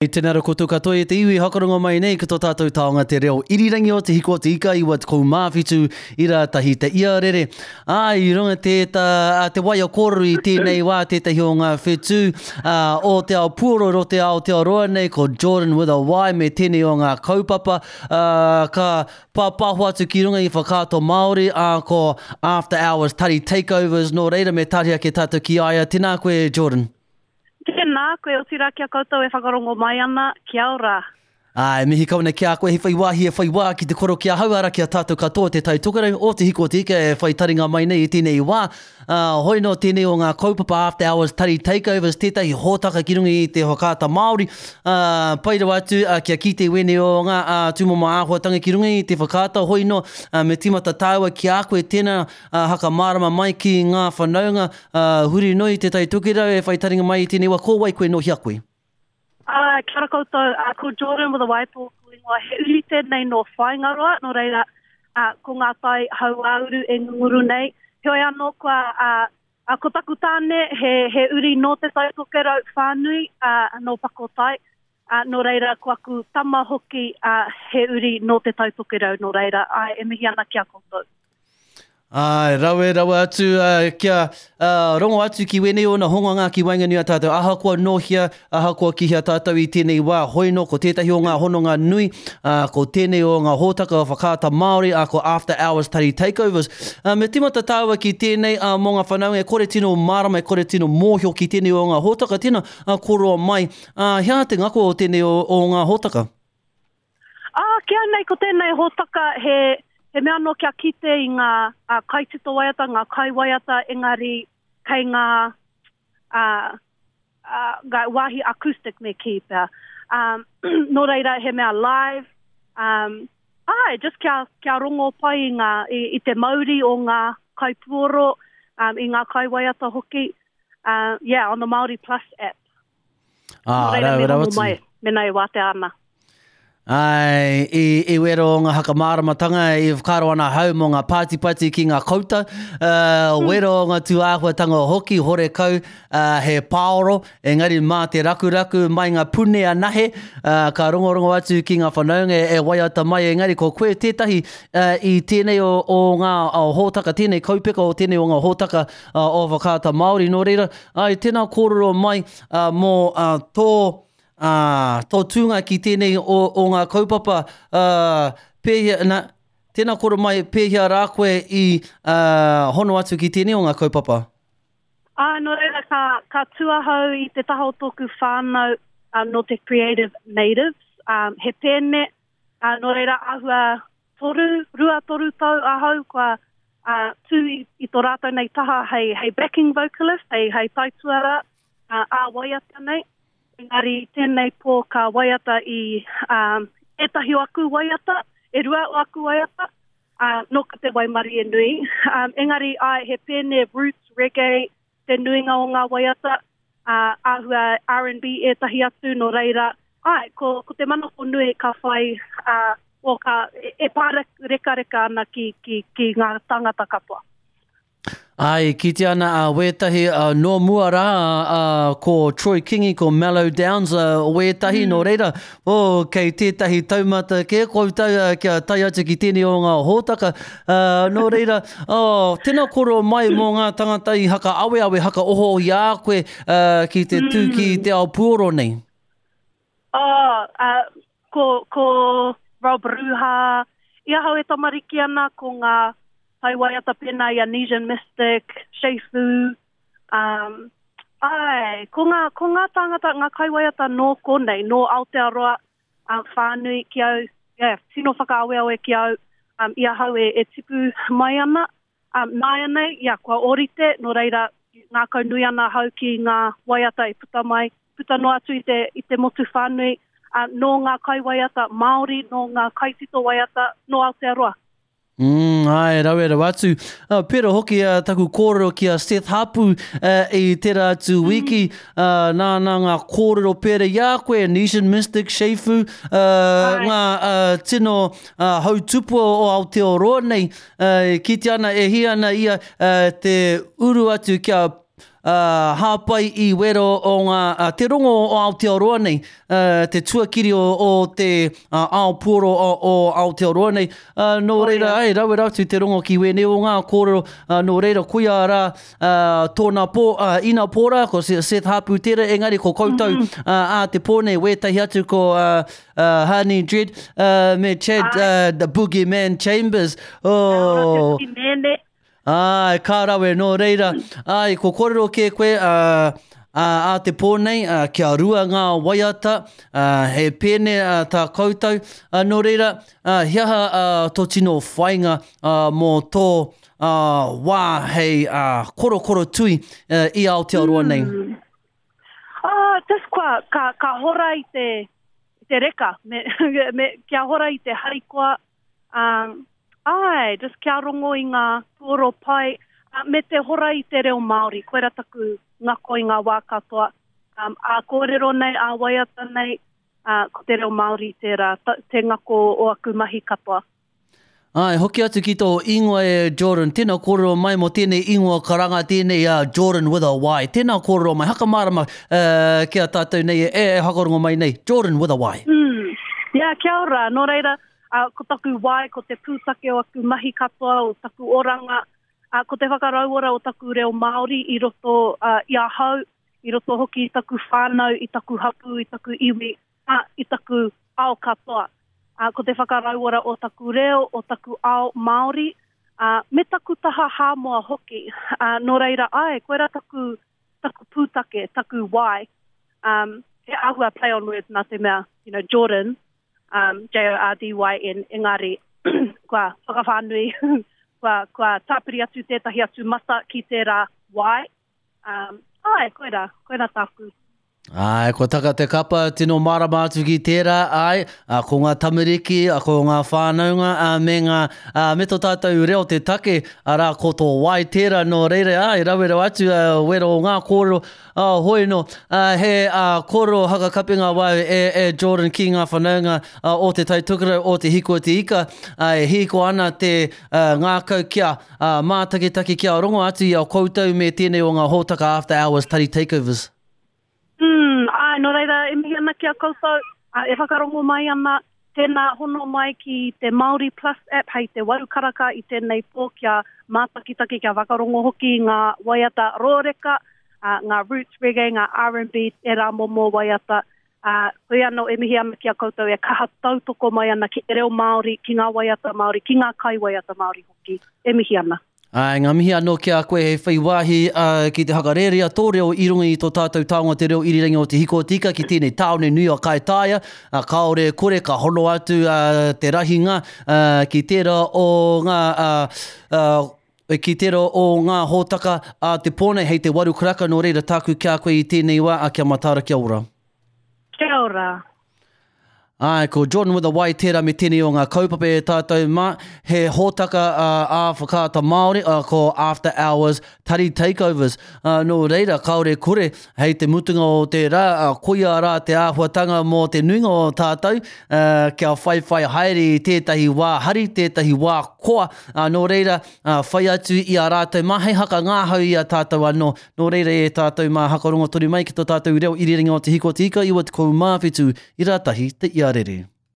Tēnā rā koutou katoa e te iwi hakarongo mai nei ki tō tātou taonga te reo irirangi o Te Hiko o Te Ika 97 i rātahi te iarere. Ā, i runga tēta, te waia kōrero i tēnei wā tētahi o ngā whetū o te ao puoro ro te Aotearoa nei ko Jordan with a Y me tēnei o ngā kaupapa ka pāpāho atu ki runga i Whakaata Māori, ā, ko After Hours Tari Takeovers, nō reira me tāria ake tātou ki a ia. Tēnā koe Jordan. Tēnā koe, otirā ki a koutou e whakarongo mai ana, kia ora. Ā, e mihi kau ana ki a koe hei whai wāhi e whai wā ki te koro ki ahau, arā ki a tātou katoa te Tai Tokerau, o Te Hiko o Te Ika e whai taringa mai nei i tēnei wā. Ā, hoi nō tēnei o ngā kaupapa After Hours Tari Takeovers tētahi hōtaka ki runga i te whakaata Māori, ā, pai rawa atu kia kite wēnei o ngā tūmomo āhuatanga ki runga i te whakaata, hoi nō, me tīmata tāua ki a koe tēnā, ā, hakamārama mai ki ngā whanaunga, ā, huri noa i Te Tai Tokerau e whai taringa mai i tēnei wā, ko wai koe, nō hea koe? Ā, kia ora koutou, ā, ko Jordan with a Y tōku ingoa, he uri tēnei nō Whāingaroa, nō reira, ā, ko ngā tai hauāuru e ngunguru nei. Heoi anō kua, ā, ā, ko taku tāne, he, he uri nō Te Tai Tokerau whānui, ā, nō Pakotai, ā, nō reira, ko aku tama hoki, ā, he uri nō Te Tai Tokerau, nō reira, āe, e mihi ana ki a koutou. Āe, rawe rawa atu kia rongo atu ki wēnei ōna hongonga ki waenganui a tātou, ahakoa nō hea, ahakoa ki hea tātou i tēnei wā, hoi nō ko tētahi o ngā hononga nui, ko tēnei o ngā hōtaka o Whakaata Māori, ā, ko After Hours Tari Takeovers. Me tīmata tāua ki tēnei, mō ngā whanaunga e kore tino mārama, e kore tino mōhio ki tēnei o ngā hōtaka, tēnā, koroa mai, he aha te ngako o tēnei o ngā hōtaka? Ā, ki au nei ko tēnei hōtaka he, he mea anō kia kite i ngā ā, kaitito waiata, ngā kaiwaiata, engari kei ngā, ā, ā, ngā wāhi acoustic me kī pea. Um, nō reira he mea live, um, āe, just kia, kia rongo pai i, ngā, i, i te mauri o ngā kaipuoro, um, i ngā kaiwaiata hoki, uh, yeah, on the Māori Plus app. Ā, Nō reira, me rongo mai, mena e wātea ana. Ai, i, i wero o ngā hakamāramatanga i whakaaro ana hau mō ngā pātipati ki ngā kouta, uh, wero o ngā tūāhuatanga hoki, horekau, uh, he pāoro, engari mā te rakuraku mai ngā pune anahe, uh, ka rongorongo atu ki ngā whanaunga e waiata mai, engari ko koe tētahi uh, i tēnei o, o ngā o hōtaka, tēnei kaupeka o tēnei o ngā hōtaka uh, o Whakaata Māori, nō reira, Āe, tēnā kōrero mai mō tō, tō tūnga ki tēnei o, o ngā kaupapa, pēhea, nā, tēnā kōrero mai, pēhea rā koe i hono atu ki tēnei o ngā kaupapa? Āe, nō reira, ka, ka tū ahau i te taha o tōku whānau nō te Creative Natives, he pēne, nō reira āhua toru, ruatoru tau ahau kua uh, tū i, i tō rātou nei taha hei, hei backing vocalist, hei, hei taituara uh, ā-waiata nei. Engari tēnei pō ka waiata i um, ētahi o aku waiata, e rua o aku waiata, uh, nōku te waimarie nui. Um, engari, ai, he pēne roots, reggae, te nuinga o ngā waiata, ā, āhua R&B ētahi atu, nō reira, āe, ko, ko te manako nui ka whai, ā, o ka, e, e pārekareka ana ki, ki, ki ngā tāngata katoa. Āe, e kitea ana a wētahi nō mua rā, a, ko Troy Kingi, ko Mellow Downs a, wētahi, mm. nō reira, oh, kei tētahi taumata kē koutou kia tae atu ki tēnei o ngā hōtaka, Uh, nō reira, oh, tēnā koro mai mō ngā tangata i haka aweawe, haka oho i a koe uh, ki te tū ki mm. te ao puoro nei. Oh, uh, ko, ko Rob Ruha, i ahau e tamariki ana ko ngā taiwaiata pēnā i a Nesian Mystic, Che Fu, um, ai, ko ngā, ko ngā tāngata, ngā kaiwaiata nō konei, nō Aotearoa, um, whānui ki au, yeah, tino whakaaweawe ki au um, i ahau e, e tipu mai ana. Um, nāianei, yeah, kua ōrite, nō reira, ngākau nui ana ahau ki ngā waiata e puta mai, puta noa atu i te, i te motu whānui, uh, nō ngā kaiwaiata Māori, nō ngā kaitito waiata, nō Aotearoa. Mm, āe, rawe rawa atu. Uh, pera hoki uh, taku kōrero ki a Seth Hapu uh, i tērā atu mm. wiki, uh, nā, nā ngā kōrero pera i a koe, Nesian Mystic, Che Fu, uh, ngā uh, tino uh, hautupua o Aotearoa nei, uh, e kite ana, e hia ana ia uh, te uru atu kia... Hāpai i wero o ngā, te rongo o Aotearoa nei, te tuakiri o te ao puoro o Aotearoa nei. Nō reira, ai, rawe atu te rongo ki wēnei o ngā kōrero. Nō reira, koia rā tōna pō, ina pō rā, ko Seth Hāpu tērā, engari ko koutou ā te pō nei, wētahi atu ko Hani Dread me Chad the Boogeyman Chambers. Oh. Te Āe, ka rawe, nō reira, āe, ko kōrero kē koe, ā, ā, ā te pō nei, ā, kia rua ngā waiata, ā, he pēne, ā, tā koutou, ā, nō reira, ā, he aha, ā, tō tino whainga, ā, mō tō, ā, wā hei, ā, korokoro tui, ā, i Aotearoa nei? Mm. Oh, just kua, ka, ka hora i te, i te reka, me, me, kia hora i te harikoa, Um, āe, just kia rongo i ngā puoro pai, uh, me te hora i te reo Māori, koira taku ngako i ngā wā katoa. Um, ā kōrero nei, ā waiata nei, uh, ko te reo Māori tērā, te ngako o aku mahi katoa. Āe, hoki atu ki tō ingoa e Jordyn, tēnā kōrero mai mō tēnei ingoa karanga tēnei a Jordyn with a Y. Tēnā kōrero mai, hakamārama uh, ki a tātou nei e, e whakarongo mai nei, Jordyn with a Y. Mm. Yeah, kia ora. Nō reira, ā, ko taku wai, ko te pūtake o aku mahi katoa, o taku oranga, ā, ko te whakarauora o taku reo Māori i roto ā, i ahau, i roto hoki i taku whānau, i taku hapū, i taku iwi, ā, i taku ao katoa. Ā, ko te whakarauora o taku reo, o taku ao Māori, ā, me taku taha Hāmoa hoki. Ā, nō reira, āe, koirā taku, taku pūtake, taku wai. Um, he āhua play on words nā te mea, you know, Jordan, um, J-O-R-D-Y-N, engari kua whakawhānui, kua, kua tāpiri atu tētahi atu mata ki tērā Y. Um, āe, koirā, koirā tāku. Āe, kua taka te kapa, tino mārama atu ki tērā, āe, ā, ko ngā tamariki, ā, ko ngā whānaunga, ā, me ngā, ā, me tō tātou reo te take, arā, ko tō Y tērā, nō reira, āe, rawe rawa atu, ā, wero o ngā kōrero, Ā, hoi nō, ā, he, ā, kōrero hakakapenga wau e, e Jordan ki ngā whanaunga, ā, o Te Tai Tokerau, o Te Hiko o Te Ika, ā, e hīko ana te, ā, ngākau kia, ā, mātakitaki kia rongo atu i a koutou me tēnei o ngā hōtaka After Hours Tari Takeovers. Mm, āe, nō reira, e mihi ana ki a koutou, ā, e whakarongo mai ana, Tēnā hono mai ki te Māori Plus app hei te waru karaka i tēnei pō kia mātakitaki, kia whakarongo hoki i ngā waiata rōreka, ngā roots reggae, ngā R&B, ērā momo waiata. Hoi anō e mihi ana ki a koutou e kaha tautoko mai ana ki te reo Māori, ki ngā waiata Māori, ki ngā kaiwaiata Māori hoki. E mihi ana. Āe, ngā mihi anō ki a koe hei whai wāhi ki te whakarērea tō reo i runga i tō tātou taonga te reo irirangi o Te Hiko-o-te-Ika ki tēnei tāone nui o Kaitaia, kāore e kore ka hono atu te rahinga ki tērā o ngā ki tērā o ngā hōtaka a te pō nei hei te waru karaka nō reira tāku ki a koe i tēnei wā, kia mataara kia ora. Kia ora. Āe, ko Jordan with a Y tērā me tēnei o ngā kaupapa e tātou mā, he hōtaka ā Whakaata Māori, ko After Hours Tari Takeovers. Nō reira, kāore kore, hei te mutunga o te rā, koia rā te āhuatanga mō te nuinga o tātou, kia whaiwhai haere i tētahi wā hari, tētahi wā koa, nō reira, whai atu i a rātou mā hei hakangāhau i a tātou anō. Nō reira e tātou mā hakarongo tonu mai ki tō tātou reo irirangi o Te Hiko o Te Ika 97 i rātahi te iarere.